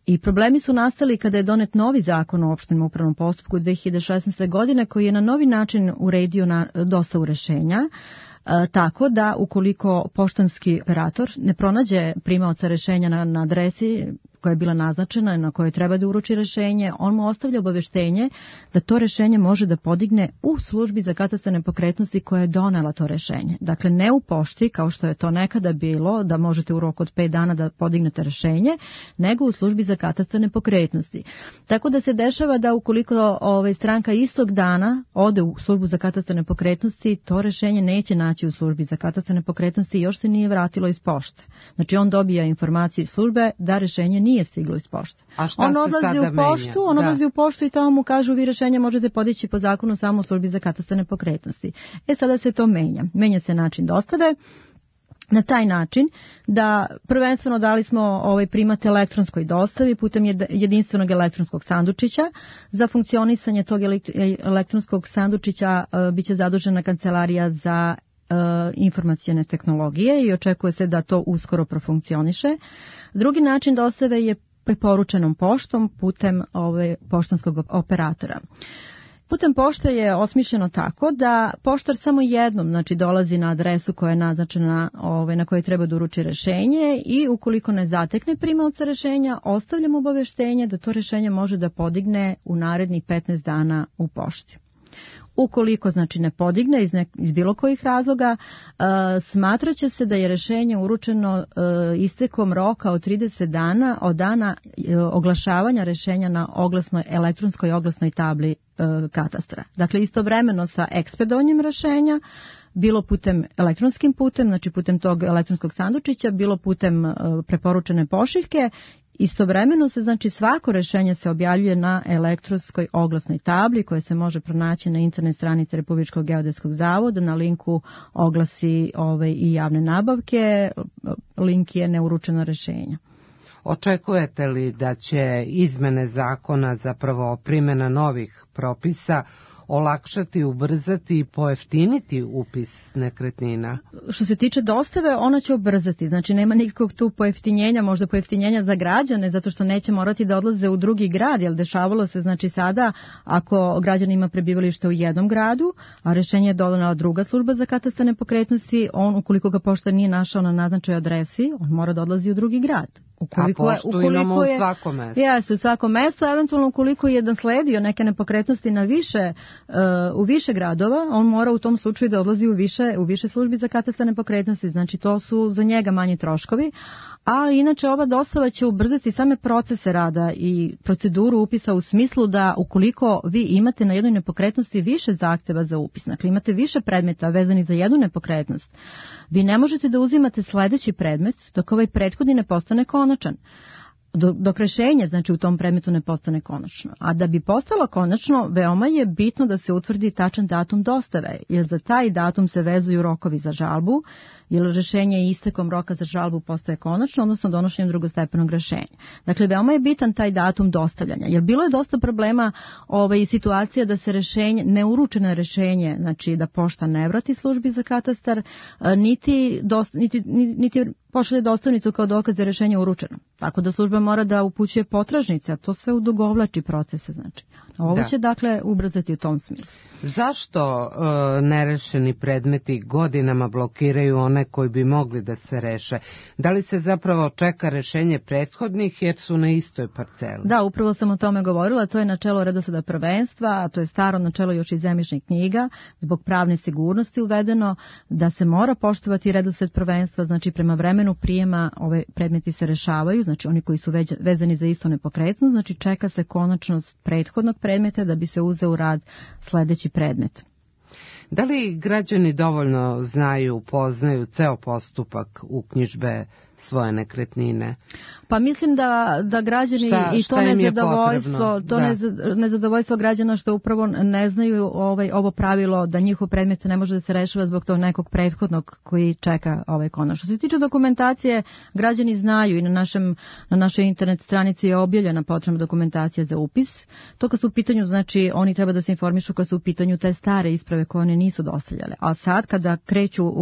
I problemi su nastali kada je donet novi zakon o opštem upravnom postupku 2016. godine koji je na novi način uredio dostavu rešenja, tako da ukoliko poštanski operator ne pronađe primaoca rešenja na adresi koja je bila naznačena na kojoj treba da uruči rešenje, on mu ostavlja obaveštenje da to rešenje može da podigne u službi za katastar nepokretnosti koja je donela to rešenje. Dakle, ne u pošti, kao što je to nekada bilo, da možete u roku od 5 dana da podignete rešenje, nego u službi za katastar nepokretnosti. Tako da se dešava da ukoliko stranka istog dana ode u službu za katastar nepokretnosti, to rešenje neće naći u službi za katastar nepokretnosti i još se nije vratilo iz pošte. Znači, on dobija informaciju iz službe da rešenje nije stiglo iz pošte. On odlazi u poštu, odlazi u poštu i tamo mu kažu vi rešenje možete podići po zakonu samo u službi za katastar nepokretnosti. Sada se to menja. Menja se način dostave na taj način da prvenstveno dali smo primat elektronskoj dostavi putem jedinstvenog elektronskog sandučića. Za funkcionisanje tog elektronskog sandučića biće zadužena Kancelarija za informacione tehnologije i očekuje se da to uskoro profunkcioniše. Drugi način dostave je preporučenom poštom putem poštanskog operatora. Putem pošte je osmišljeno tako da poštar samo jednom dolazi na adresu koja je naznačena na kojoj treba da uruči rešenje i ukoliko ne zatekne primaoca rešenja, ostavlja mu obaveštenje da to rešenje može da podigne u narednih 15 dana u pošti. Ukoliko ne podigne iz bilo kojih razloga, smatraće se da je rešenje uručeno istekom roka od 30 dana od dana oglašavanja rešenja na elektronskoj oglasnoj tabli katastra. Dakle, istovremeno sa ekspedovanjem rešenja, bilo putem elektronskim putem, znači putem tog elektronskog sandučića, bilo putem preporučene pošiljke. Istovremeno se svako rešenje se objavljuje na elektronskoj oglasnoj tabli koja se može pronaći na internet stranici Republičkog geodetskog zavoda na linku oglasi i javne nabavke. Link je neuručeno rešenja. Očekujete li da će izmene zakona, zapravo primjena novih propisa, olakšati, ubrzati i pojeftiniti upis nekretnina? Što se tiče dostave, ona će ubrzati. Znači, nema nikakvog tu pojeftinjenja, možda pojeftinjenja za građane, zato što neće morati da odlaze u drugi grad, jer dešavalo se, sada, ako građan ima prebivalište u jednom gradu, a rešenje je donela druga služba za katastar nepokretnosti, on, ukoliko ga poštar nije našao na naznačenoj adresi, on mora da odlazi u drugi grad. A poštu imamo u svakom mestu. Jeste, u svakom mestu, eventualno ukoliko je nasledio neke nepokretnosti u više gradova, on mora u tom slučaju da odlazi u više službi za katastar nepokretnosti, znači to su za njega manji troškovi, ali inače ova dostava će ubrzati same procese rada i proceduru upisa u smislu da ukoliko vi imate na jednoj nepokretnosti više zahteva za upis, dakle imate više predmeta vezani za jednu nepokretnost, vi ne možete da uzimate sledeći predmet dok ovaj prethodni ne postane konačan. dok rešenje, znači u tom predmetu ne postane konačno. A da bi postalo konačno, veoma je bitno da se utvrdi tačan datum dostave, jer za taj datum se vezuju rokovi za žalbu, jer rešenje istekom roka za žalbu postaje konačno, odnosno donošenjem drugostepenog rešenja. Dakle, veoma je bitan taj datum dostavljanja, jer bilo je dosta problema i situacija da se rešenje, neuručeno rešenje, znači da pošta ne vrati službi za katastar, niti pošalje dostavnicu kao dokaz da je rešenje uručeno. Tako da služba mora da upućuje potražnice, a to sve udugovlači procese. Znači. Ovo će dakle ubrzati u tom smislu. Zašto nerešeni predmeti godinama blokiraju one koji bi mogli da se reše? Da li se zapravo čeka rešenje prethodnih jer su na istoj parceli? Da, upravo sam o tome govorila. To je načelo redosleda prvenstva, a to je staro načelo još iz zemljišnih knjiga. Zbog pravne sigurnosti uvedeno da se mora poštovati redosled prvenstva, znači prema vremenu prijema ove predmeti se rešavaju, znači oni koji su vezani za istu nepokretnost, znači čeka se konačnost prethodnog predmeta da bi se uzeo u rad sledeći predmet. Da li građani dovoljno znaju, poznaju ceo postupak uknjižbe svoje nekretnine? Pa mislim da građani i to nezadovoljstvo, nezadovoljstvo građana što upravo ne znaju ovo pravilo da njihov predmet ne može da se rešava zbog tog nekog prethodnog koji čeka konačno. Što se tiče dokumentacije, građani znaju i na našoj internet stranici je objavljena potrebna dokumentacija za upis. To kad su u pitanju, znači oni treba da se informišu kad su u pitanju te stare isprave koje one nisu dostavljale. A sad kada kreću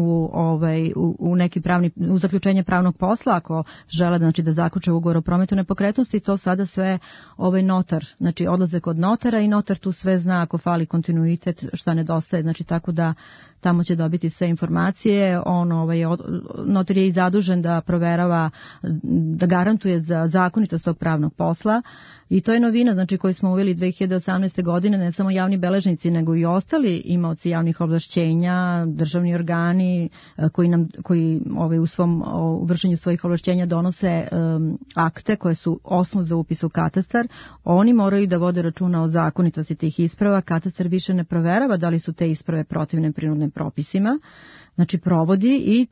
u neki u zaključenje pravnog posla, ako žele znači da zaključe ugovor o prometu nepokretnosti, to sada sve notar, znači odlaze kod notara i notar tu sve zna ako fali kontinuitet, šta nedostaje, znači tako da tamo će dobiti sve informacije. Notar je i zadužen da proverava, da garantuje za zakonitost tog pravnog posla i to je novina, znači koju smo uveli 2018. godine, ne samo javni beležnici, nego i ostali imaoci javnih ovlašćenja, državni organi koji u svom vršenju svojih ovlašćenja donose akte koje su osnov za upis u katastar. Oni moraju da vode računa o zakonitosti tih isprava. Katastar više ne proverava da li su te isprave protivne prinudnim propisima, znači provodi i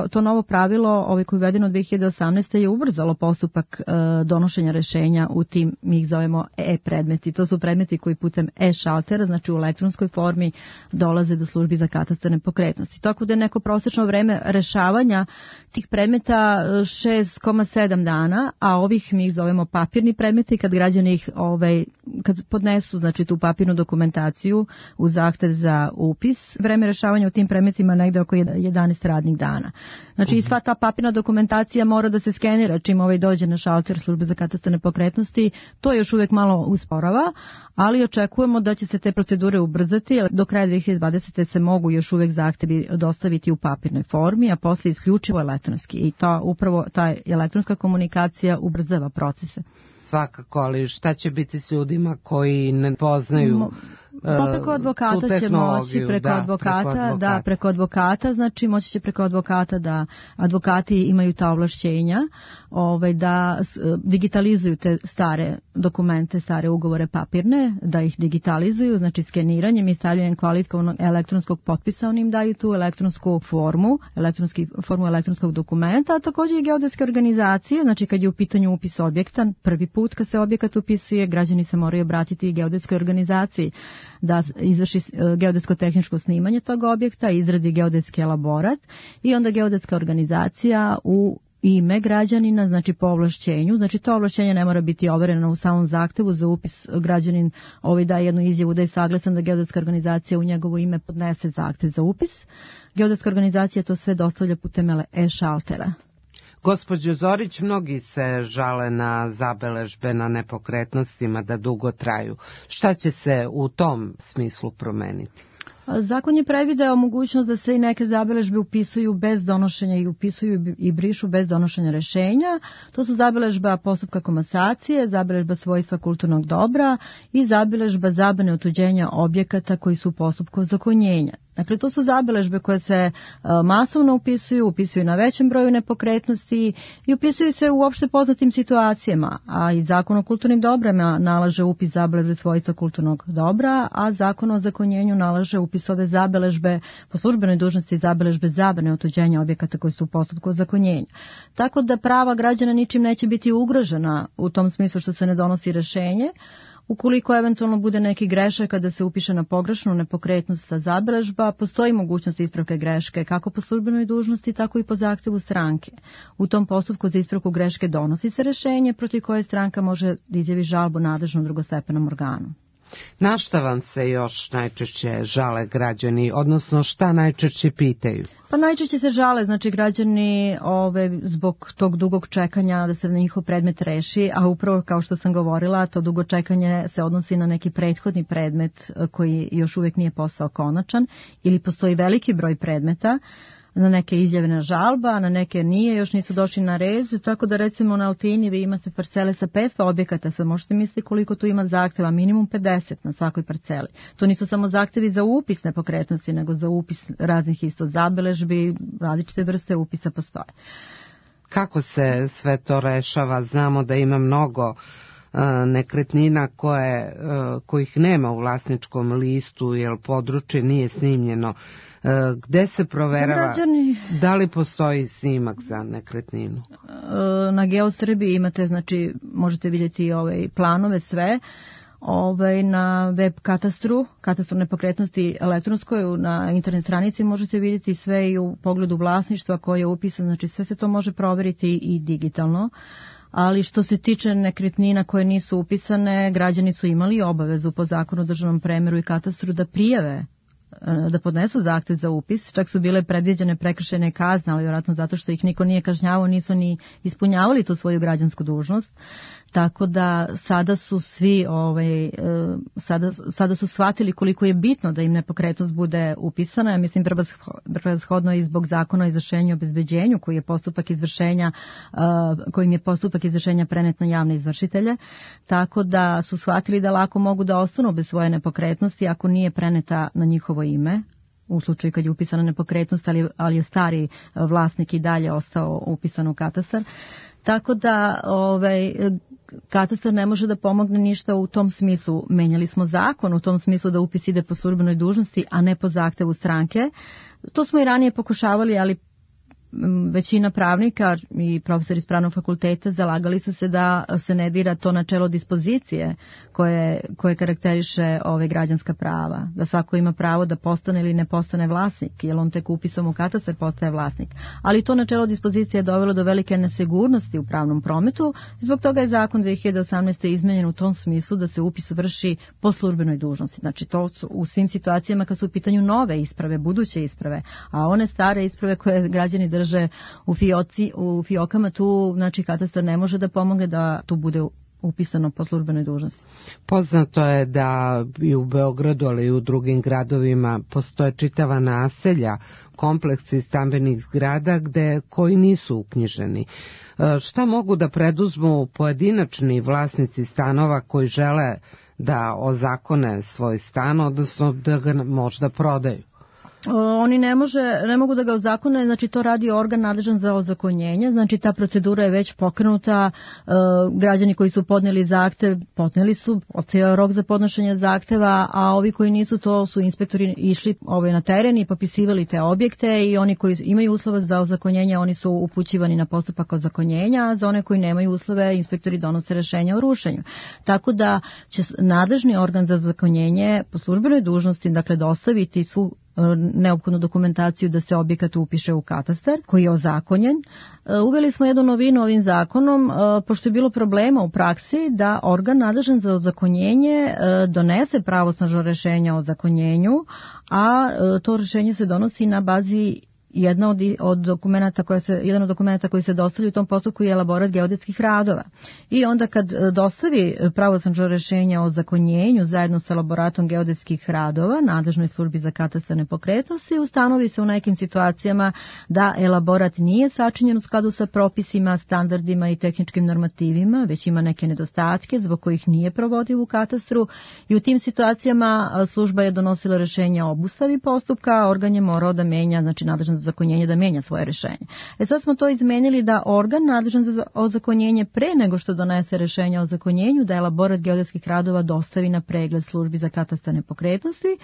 to novo pravilo koje je uvedeno 2018. je ubrzalo postupak donošenja rešenja u tim, mi ih zovemo e-predmeti. To su predmeti koji putem e-šaltera, znači u elektronskoj formi, dolaze do službi za katastar nepokretnosti. Tako da je neko prosečno vreme rešavanja tih predmeta 6,7 dana, a ovih mi ih zovemo papirni predmeti kad građani ih kad podnesu znači tu papirnu dokumentaciju u zahtev za upis. Vreme rešavanja u tim predmetima negde oko 11 radnih dana. Znači i sva ta papirna dokumentacija mora da se skenira čim dođe na šalter službe za katastar nepokretnosti. To još uvijek malo usporava, ali očekujemo da će se te procedure ubrzati. Do kraja 2020. se mogu još uvijek zahtevi dostaviti u papirnoj formi, a posle isključivo elektronski. I upravo ta elektronska komunikacija ubrzava procese. Svakako, ali šta će biti s ljudima koji ne poznaju preko advokata će moći, preko advokata, znači moći će preko advokata da advokati imaju ta ovlašćenja da digitalizuju te stare dokumente, stare ugovore papirne, da ih digitalizuju, znači skeniranjem i stavljanjem kvalifikovanog elektronskog potpisa, oni im daju tu elektronsku formu elektronskog dokumenta, a također i geodetske organizacije, znači kad je u pitanju upis objekta, prvi put kad se objekat upisuje, građani se moraju obratiti i geodetskoj organizaciji da izvrši geodetsko-tehničko snimanje tog objekta, izradi geodetski elaborat i onda geodetska organizacija u ime građanina, znači po ovlašćenju, znači to ovlašćenje ne mora biti overeno u samom zahtevu za upis, građanin daje jednu izjavu da je saglasan da geodetska organizacija u njegovo ime podnese zahtev za upis. Geodetska organizacija to sve dostavlja putem e-šaltera. Gospođo Zorić, mnogi se žale na zabeležbe na nepokretnostima da dugo traju. Šta će se u tom smislu promeniti? Zakon je predvideo mogućnost da se i neke zabeležbe upisuju bez donošenja i upisuju i brišu bez donošenja rešenja. To su zabeležba postupka komasacije, zabeležba svojstva kulturnog dobra i zabeležba zabrane otuđenja objekata koji su u postupku ozakonjenja. Dakle, to su zabeležbe koje se masovno upisuju na većem broju nepokretnosti i upisuju se u opšte poznatim situacijama, a i Zakon o kulturnim dobrima nalaže upis zabeležbe svojstva kulturnog dobra, a Zakon o ozakonjenju nalaže upis ove zabeležbe po službenoj dužnosti zabeležbe zabrane otuđenja objekata koji su u postupku ozakonjenja. Tako da prava građana ničim neće biti ugrožena u tom smislu što se ne donosi rešenje. Ukoliko eventualno bude neki grešak kada se upiše na pogrešnu nepokretnost zabeležba, postoji mogućnost ispravke greške kako po službenoj dužnosti, tako i po zahtevu stranke. U tom postupku za ispravku greške donosi se rešenje protiv koje stranka može da izjavi žalbu nadležnom drugostepenom organu. Na šta vam se još najčešće žale građani, odnosno šta najčešće pitaju? Pa najčešće se žale, znači građani zbog tog dugog čekanja da se na njihov predmet reši, a upravo kao što sam govorila, to dugo čekanje se odnosi na neki prethodni predmet koji još uvijek nije postao konačan ili postoji veliki broj predmeta, na neke izjavljena žalba, na neke nije, još nisu došli na red, tako da recimo na Altini vi imate parcele sa 500 objekata, sad možete misliti koliko tu ima zahteva, minimum 50 na svakoj parceli. To nisu samo zahtevi za upis nepokretnosti, nego za upis raznih isto zabeležbi, različite vrste upisa postoje. Kako se sve to rešava? Znamo da ima mnogo nekretnina kojih nema u vlasničkom listu, jer područje nije snimljeno. Gde se proverava da li postoji snimak za nekretninu? Na Geosrbiji imate, znači možete vidjeti planove sve. Na web katastru nepokretnosti elektronskoj, na internet stranici možete vidjeti sve i u pogledu vlasništva koje je upisano, znači sve se to može proveriti i digitalno. Ali što se tiče nekretnina koje nisu upisane, građani su imali obavezu po Zakonu o državnom premeru i katastru da prijave, da podnesu zahtev za upis, čak su bile predviđene prekršajne kazne, ali vjerojatno zato što ih niko nije kažnjavao, nisu ni ispunjavali tu svoju građansku dužnost. Tako da sada su svi sada su shvatili koliko je bitno da im nepokretnost bude upisana. Ja mislim prevashodno i zbog Zakona o izvršenju i obezbeđenju kojim je postupak izvršenja prenet na javne izvršitelje. Tako da su shvatili da lako mogu da ostanu bez svoje nepokretnosti ako nije preneta na njihovo ime, u slučaju kad je upisana nepokretnost, ali je stari vlasnik i dalje ostao upisan u katastar. Tako da katastar ne može da pomogne ništa u tom smislu. Menjali smo zakon u tom smislu da upis ide po službenoj dužnosti, a ne po zahtevu stranke. To smo i ranije pokušavali, ali većina pravnika i profesori iz pravnog fakulteta zalagali su se da se ne dira to načelo dispozicije koje karakteriše građanska prava, da svako ima pravo da postane ili ne postane vlasnik, jer on tek upisom u katastar postaje vlasnik. Ali to načelo dispozicije je dovelo do velike nesigurnosti u pravnom prometu, zbog toga je zakon 2018. izmenjen u tom smislu da se upis vrši po službenoj dužnosti. Znači to su u svim situacijama kad su u pitanju nove isprave, buduće isprave, a one stare isprave koje građani drže u fiokama, tu znači katastar ne može da pomogne da tu bude upisano po službenoj dužnosti. Poznato je da i u Beogradu, ali i u drugim gradovima postoje čitava naselja, kompleksi stambenih zgrada koji nisu uknjiženi. Šta mogu da preduzmu pojedinačni vlasnici stanova koji žele da ozakone svoj stan, odnosno da ga možda prodaju? Oni ne mogu da ga ozakone, znači to radi organ nadležan za ozakonjenje, znači ta procedura je već pokrenuta, građani koji su podneli zahtev, ostaje rok za podnošenje zahteva, a ovi koji nisu, to su inspektori išli na teren i popisivali te objekte i oni koji imaju uslove za ozakonjenje, oni su upućivani na postupak ozakonjenja, a za one koji nemaju uslove, inspektori donose rešenja o rušenju. Tako da će nadležni organ za ozakonjenje po službenoj dužnosti, dakle, dostaviti svu neophodnu dokumentaciju da se objekat upiše u katastar koji je ozakonjen. Uveli smo jednu novinu ovim zakonom, pošto je bilo problema u praksi da organ nadležan za ozakonjenje donese pravosnažno rešenje o ozakonjenju, a to rešenje se donosi na bazi jedan od dokumenta koji se dostavlja u tom postupku je elaborat geodetskih radova. I onda kad dostavi pravosnažno rešenje o zakonjenju zajedno sa elaboratom geodetskih radova nadležnoj službi za katastar nepokretnosti, ustanovi se u nekim situacijama da elaborat nije sačinjen u skladu sa propisima, standardima i tehničkim normativima, već ima neke nedostatke zbog kojih nije provodiv u katastru, i u tim situacijama služba je donosila rešenje o obustavi postupka, organ je morao da menja, znači nadležan za ozakonjenje, da menja svoje rešenje. Sad smo to izmenili da organ nadležan za ozakonjenje pre nego što donese rešenje o ozakonjenju, da elaborat geodetskih radova dostavi na pregled službi za katastar nepokretnosti.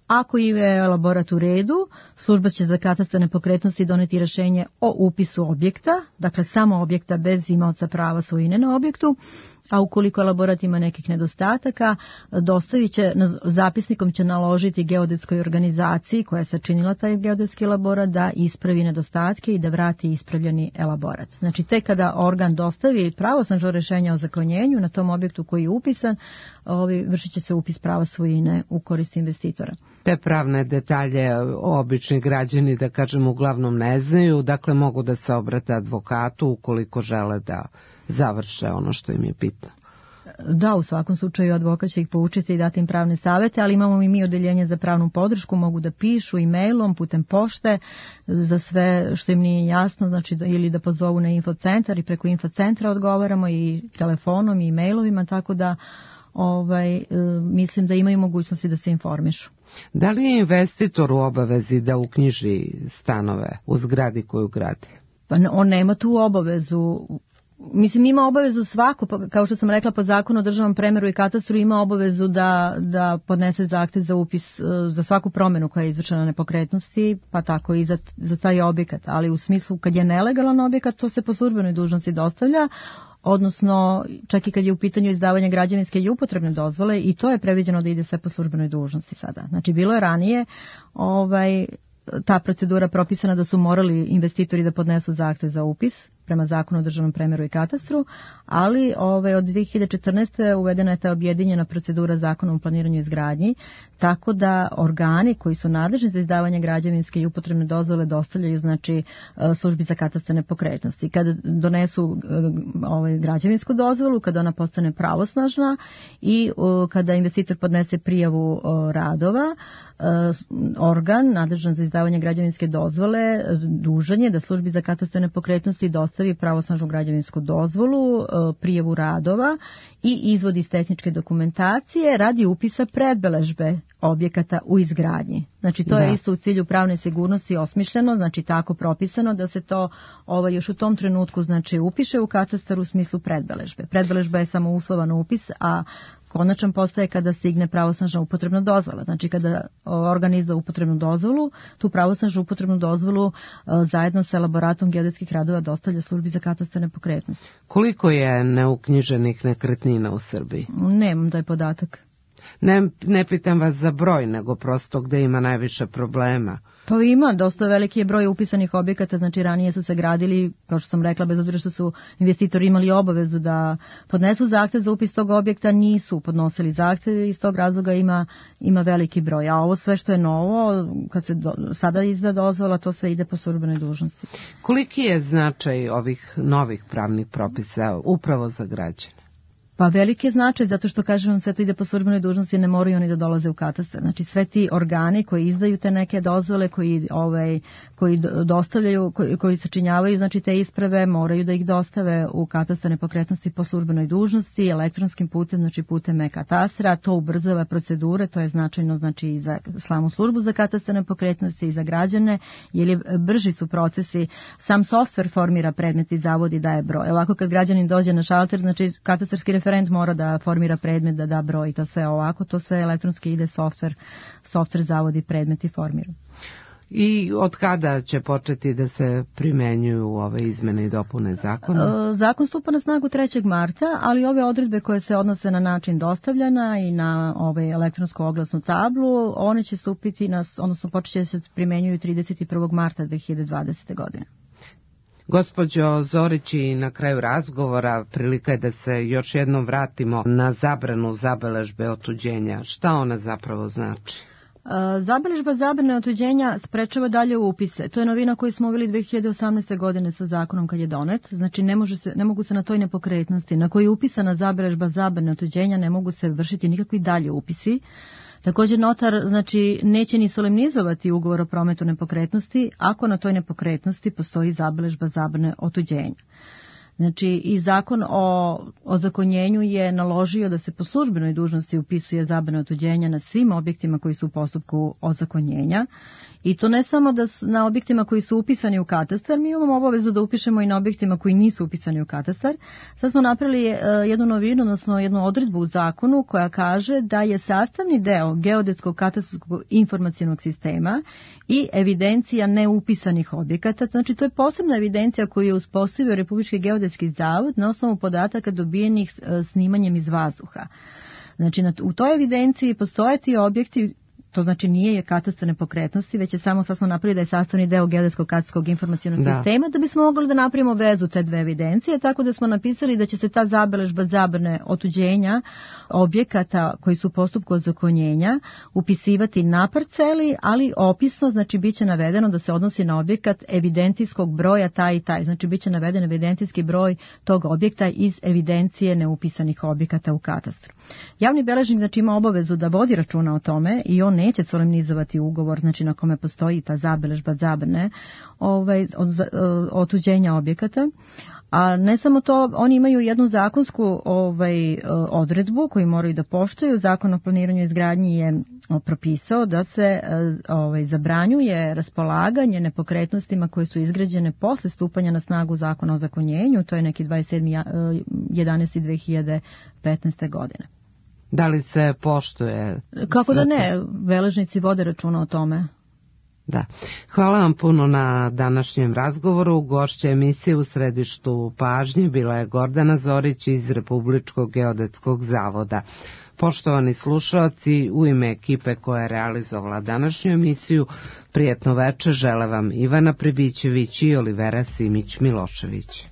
Ako je elaborat u redu, služba će za katastar nepokretnosti doneti rešenje o upisu objekta, dakle samo objekta bez imaoca prava svojine na objektu, a ukoliko elaborat ima nekih nedostataka, zapisnikom će naložiti geodetskoj organizaciji koja je sačinila taj geodetski elaborat da ispravi nedostatke i da vrati ispravljeni elaborat. Znači, tek kada organ dostavi pravosnažno rešenje o ozakonjenju na tom objektu koji je upisan, vršit će se upis prava svojine u korist investitora. Te pravne detalje obični građani, da kažem, uglavnom ne znaju, dakle mogu da se obrate advokatu ukoliko žele da završe ono što im je bitno. Da, u svakom slučaju advokat će ih poučiti i dati im pravne savete, ali imamo i mi odeljenje za pravnu podršku, mogu da pišu e-mailom, putem pošte, za sve što im nije jasno, znači ili da pozovu na infocentar i preko infocentra odgovaramo i telefonom i e-mailovima, tako da mislim da imaju mogućnosti da se informišu. Da li je investitor u obavezi da uknjiži stanove u zgradi koju gradi? Pa on nema tu obavezu. Mislim, ima obavezu svako, kao što sam rekla, po zakonu o državnom premeru i katastru ima obavezu da podnese zahtev za upis za svaku promenu koja je izvršena na nepokretnosti, pa tako i za taj objekat. Ali u smislu kad je nelegalan objekat, to se po službenoj dužnosti dostavlja, odnosno čak i kad je u pitanju izdavanje građevinske i upotrebne dozvole, i to je predviđeno da ide sve po službenoj dužnosti sada. Znači, bilo je ranije ta procedura propisana da su morali investitori da podnesu zahtev za upis prema zakonu o državnom premeru i katastru, ali od 2014. uvedena je ta objedinjena procedura zakonom o planiranju i izgradnji, tako da organi koji su nadležni za izdavanje građevinske i upotrebne dozvole dostavljaju, znači, službi za katastar nepokretnosti. Kada donesu građevinsku dozvolu, kada ona postane pravosnažna i kada investitor podnese prijavu radova, organ nadležan za izdavanje građevinske dozvole dužan je da službi za katastar nepokretnosti dostavi pravosnažnu građevinsku dozvolu, prijavu radova i izvod iz tehničke dokumentacije radi upisa predbeležbe objekata u izgradnji. Znači, to je isto u cilju pravne sigurnosti osmišljeno, znači tako propisano da se to još u tom trenutku, znači, upiše u katastar u smislu predbeležbe. Predbeležba je samo uslovan upis, a konačan postaje kada stigne pravosnažna upotrebna dozvola. Znači, kada organ izda upotrebnu dozvolu, tu pravosnažnu upotrebnu dozvolu zajedno sa elaboratom geodetskih radova dostavlja službi za katastar nepokretnosti. Koliko je neuknjiženih nekretnina u Srbiji? Nemam taj podatak. Ne pitam vas za broj, nego prosto gde ima najviše problema. Pa ima, dosta veliki je broj upisanih objekata, znači ranije su se gradili, kao što sam rekla, bez obzira što su investitori imali obavezu da podnesu zahtev za upis tog objekta, nisu podnosili zahtev i iz tog razloga ima veliki broj. A ovo sve što je novo, kad se sada izda dozvola, to sve ide po službenoj dužnosti. Koliki je značaj ovih novih pravnih propisa upravo za građane? Pa veliki je značaj, zato što, kažem, sve to ide po službenoj dužnosti, ne moraju oni da dolaze u katastar. Znači, sve ti organi koji izdaju te neke dozvole, koji dostavljaju, koji sačinjavaju, znači, te isprave, moraju da ih dostave u katastar nepokretnosti po službenoj dužnosti, elektronskim putem, znači putem e-katastra. To ubrzava procedure, to je značajno, znači, i za samu službu za katastar nepokretnosti i za građane, jer brži su procesi. Sam softver formira predmet i zavodi daje broj. Ovako kad građanin dođe na šalter, znači, katastarski referent mora da formira predmet, da da broj, to sve ovako, to sve elektronski ide softver zavodi predmet i formira. I od kada će početi da se primenjuju ove izmene i dopune zakona? Zakon stupa na snagu 3. marta, ali ove odredbe koje se odnose na način dostavljanja i na elektronsku oglasnu tablu, one će stupiti, odnosno počet će se primenjuju 31. marta 2020. godine. Gospođo Zorić, i na kraju razgovora prilika je da se još jednom vratimo na zabranu zabeležbe otuđenja. Šta ona zapravo znači? Zabeležba zabrane otuđenja sprečava dalje upise. To je novina koju smo uveli 2018. godine sa zakonom kad je donet. Znači ne mogu se na toj nepokretnosti na kojoj je upisana zabeležba zabrane otuđenja ne mogu se vršiti nikakvi dalje upisi. Također notar znači neće ni solemnizovati ugovor o prometu nepokretnosti ako na toj nepokretnosti postoji zabeležba zabrane otuđenja. Znači i zakon o ozakonjenju je naložio da se po službenoj dužnosti upisuje zabrana otuđenja na svim objektima koji su u postupku ozakonjenja i to ne samo da na objektima koji su upisani u katastar, mi imamo obavezu da upišemo i na objektima koji nisu upisani u katastar. Sad smo napravili jednu novinu, odnosno jednu odredbu u zakonu koja kaže da je sastavni deo geodetskog katastarskog informacionog sistema i evidencija neupisanih objekata. Znači to je posebna evidencija koju je uspostavio Republički geodetski zavod na osnovu podataka dobijenih snimanjem iz vazduha. Znači u toj evidenciji postoje ti objekti. To znači nije katastar nepokretnosti, već je samo sad smo napravili da je sastavni deo geodetskog katastarskog informacionog sistema, da bismo mogli da napravimo vezu te dve evidencije, tako da smo napisali da će se ta zabeležba zabrane otuđenja objekata koji su u postupku ozakonjenja upisivati na parceli, ali opisno, znači bit će navedeno da se odnosi na objekat evidencijskog broja taj i taj, znači bit će naveden evidencijski broj tog objekta iz evidencije neupisanih objekata u katastru. Javni beležnik znači ima obavezu da vodi računa o tome i on neće solemnizovati ugovor, znači na kome postoji ta zabeležba zabrane otuđenja objekata. A ne samo to, oni imaju jednu zakonsku odredbu koju moraju da poštuju. Zakon o planiranju i izgradnji je propisao da se zabranjuje raspolaganje nepokretnostima koje su izgrađene posle stupanja na snagu zakona o ozakonjenju, to je neki 27.11.2015. godine. Da li se poštuje? Kako da ne, beležnici vode računa o tome. Da. Hvala vam puno na današnjem razgovoru. Gošća emisije u središtu pažnje bila je Gordana Zorić iz Republičkog geodetskog zavoda. Poštovani slušaoci, u ime ekipe koja je realizovala današnju emisiju, prijetno večer žele vam Ivana Pribićević i Olivera Simić-Milošević.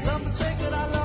Something sacred I love.